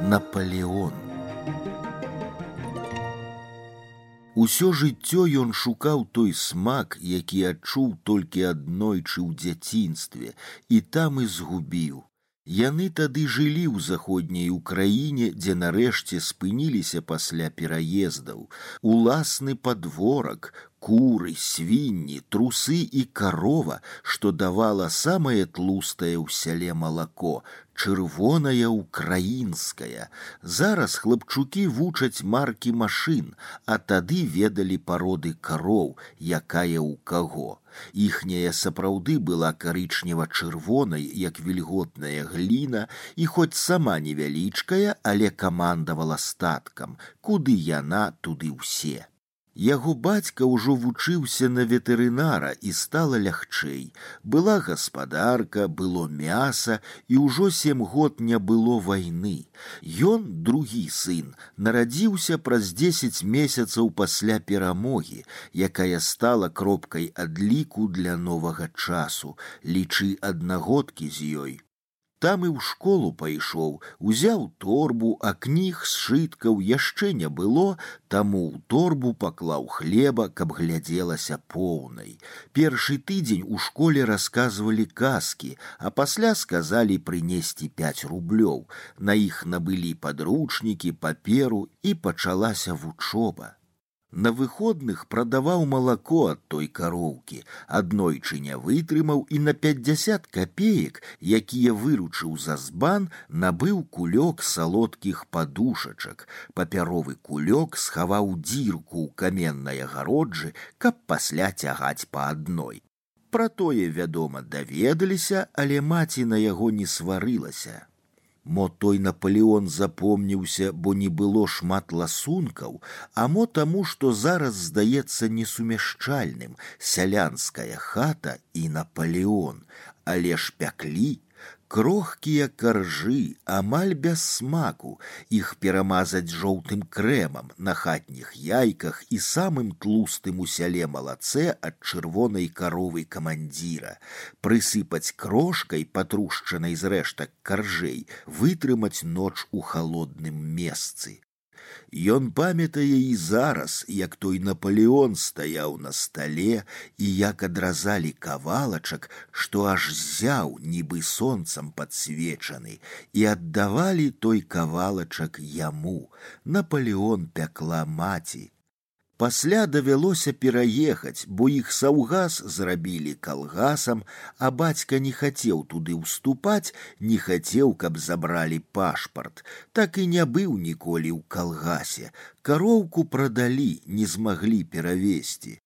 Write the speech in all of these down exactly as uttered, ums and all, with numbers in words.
Напалеон. Усё жыццё ён шукаў той смак, які адчуў толькі аднойчы ў дзяцінстве, і там і згубіў. Яны тады жылі ў заходняй Украіне, дзе нарэшце спыніліся пасля пераездаў. Уласны падворак, куры, свінні, трусы і карова, што давала самае тлустае ў сяле малако, чырвонае украінскае. Зараз хлапчукі вучаць маркі машын, а тады ведалі пароды кароў, якая ў каго. Іхняя сапраўды была карычнева-чырвонай, як вільготная гліна, і хоць сама невялічкая, але камандавала статкам. Куды яна, туды ўсе. Яго бацька ўжо вучыўся на ветэрынара, і стала лягчэй. Была гаспадарка, было мяса, і ўжо сем год не было вайны. Ён, другі сын, нарадзіўся праз дзесяць месяцаў пасля перамогі, якая стала кропкай адліку для новага часу. Лічы аднагодкі з ёй. Там і ў школу пайшоў, узяў торбу, а кніг сшыткаў яшчэ не было, таму ў торбу паклаў хлеба, каб глядзелася поўнай. Першы тыдзень у школе расказвалі казкі, а пасля сказалі прынесці пяць рублёў. На іх набылі падручнікі, паперу, і пачалася вучоба. На выходных прадаваў малако ад той кароўкі, аднойчы не вытрымаў і на пятьдесят копеек, якія выручыў за збан, набыў кулёк салодкіх падушачак. Папяровы кулёк схаваў дзірку ў каменнай агароджы, каб пасля цягаць па адной. Пра тое, вядома, даведаліся, але маці на яго не сварылася. Мо той Напалеон запомніўся, бо не было шмат ласункаў, а мо таму, што зараз здаецца несумяшчальным сялянская хата і Напалеон, але ж пяклі. Крохкія каржы, амаль без смаку, іх перамазаць жоўтым крэмам на хатніх яйках і самым тлустым у сяле малацэ ад чырвонай каровы камандзіра, прысыпаць крошкай, патрушчанай з рэштак каржэй, вытрымаць ноч у халодным месцы. Ён памятае і зараз, як той Напалеон стаяў на стале і як адразалі кавалачак, што аж ззяў, нібы сонцам падсвечаны, і аддавалі той кавалачак яму. Напалеон пякла маці. Пасля давялося пераехаць, бо іх саўгас зрабілі калгасам, а бацька не хацеў туды ўступаць, не хацеў, каб забралі пашпарт. Так і не быў ніколі ў калгасе. Кароўку прадалі, не змаглі перавесці.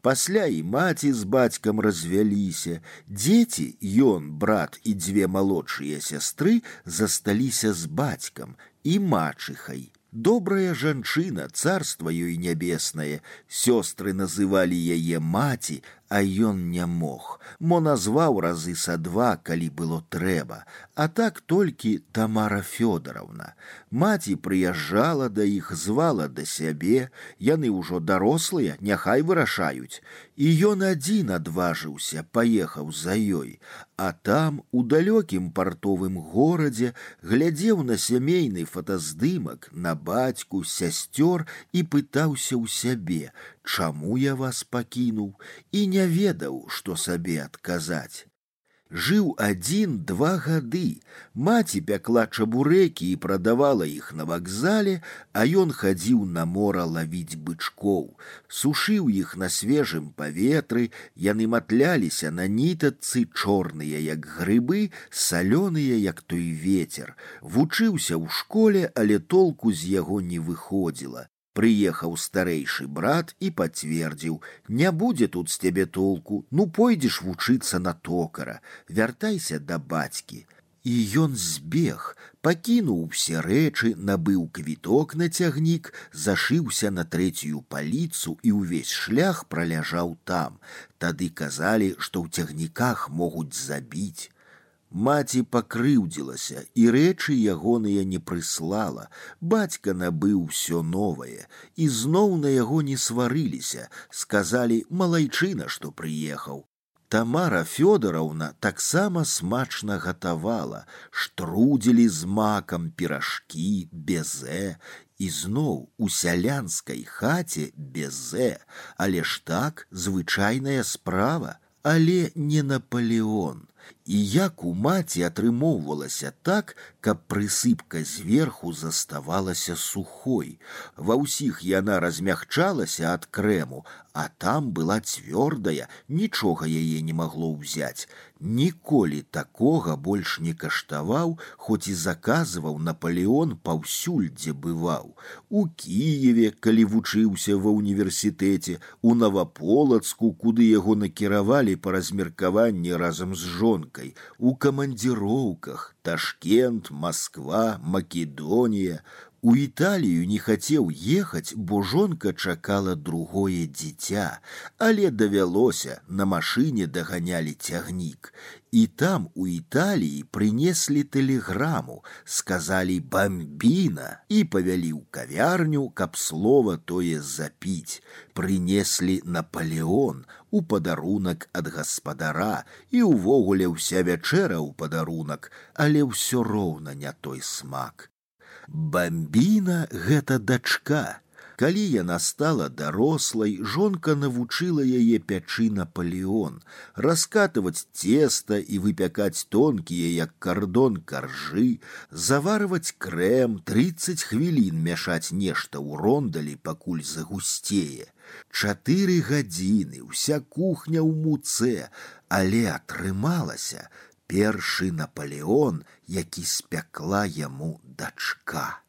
Пасля і маці з бацькам развяліся. Дзеці, ён, брат і дзве малодшыя сястры, засталіся з бацькам і мачыхай. Добрая жанчына, царства ёй нябеснае, сёстры называлі яе маці, а ён не мог, мо назваў разы са два, калі было трэба, а так толькі Тамара Фёдоровна. Маці прыязджала да іх, звала да сябе, яны ўжо дарослыя, няхай вырашаюць. І ён адзін адважыўся, паехаў за ёй, а там, у далёкім партовым горадзе, глядзеў на сямейны фотаздымак, на бацьку, сясцёр і пытаўся ў сябе, чаму я вас пакінуў, і не ведаў, што сабе адказаць. Жыў адзін два гады. Маці пякла чабурэкі і прадавала іх на вакзале, а ён хадзіў на мора лавіць бычкоў. Сушыў іх на свежым паветры, яны матляліся на нітачцы, чорныя, як грыбы, салёныя, як той вецер. Вучыўся ў школе, але толку з яго не выходзіла. Прыехаў старэйшы брат і пацвердзіў: не будзе тут з цябе толку, ну пойдзеш вучыцца на токара, вяртайся да бацькі. І ён збег, пакінуў усе рэчы, набыў квіток на цягнік, зашыўся на трэцюю паліцу і ўвесь шлях праляжаў там. Тады казалі, што ў цягніках могуць забіць. Маці пакрыўдзілася, і рэчы ягоныя не прыслала. Бацька набыў усё новае, і зноў на яго не сварыліся, сказалі: малайчына, што прыехаў. Тамара Фёдоровна таксама смачна гатавала, штруделі з макам, піражкі, безе, і зноў у сялянскай хаце безе, але ж так звычайная справа, але не Наполеон. І як у маці атрымоўвалася так, каб прысыпка зверху заставалася сухой. Ва ўсіх яна размягчалася ад крэму, а там была цвёрдая, нічога яе не магло ўзяць. Ніколі такога больш не каштаваў, хоць і заказваў Наполеон паўсюль, дзе бываў. У Кіеве, калі вучыўся ва ўніверсітэце, у Наваполацку, куды яго накіравалі па размеркаванні разам з жонкай, у камандзіроўках, Ташкент, Москва, Македонія. У Італію не хацеў ехаць, бо жонка чакала другое дзіця, але давялося, на машыне даганялі цягнік. І там у Італіі прынеслі тэлеграму, сказалі «бамбіна» і павялі ў кавярню, каб слова тое запіць. Прынеслі «Наполеон» у падарунак ад гаспадара, і ўвогуле ўся вячэра ў падарунак, але ўсё роўна не той смак. Бамбіна – гэта дачка. Калі яна стала дарослай, жонка навучыла яе пячы Наполеон, раскатываць цеста і выпякаць тонкія, як кардон, каржы, заварваць крэм, трыццаць хвілін мяшаць нешта ў рондалі, пакуль загусцее. Чатыры гадзіны, уся кухня ў муцэ, але атрымалася першы Наполеон, які спякла яму дачка.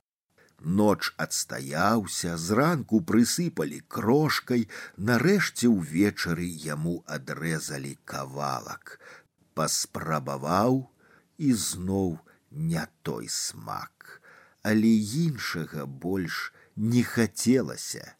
Ноч адстаяўся, зранку прысыпалі крошкай, нарэшце ўвечары яму адрэзалі кавалак. Паспрабаваў, і зноў не той смак, але іншага больш не хацелася.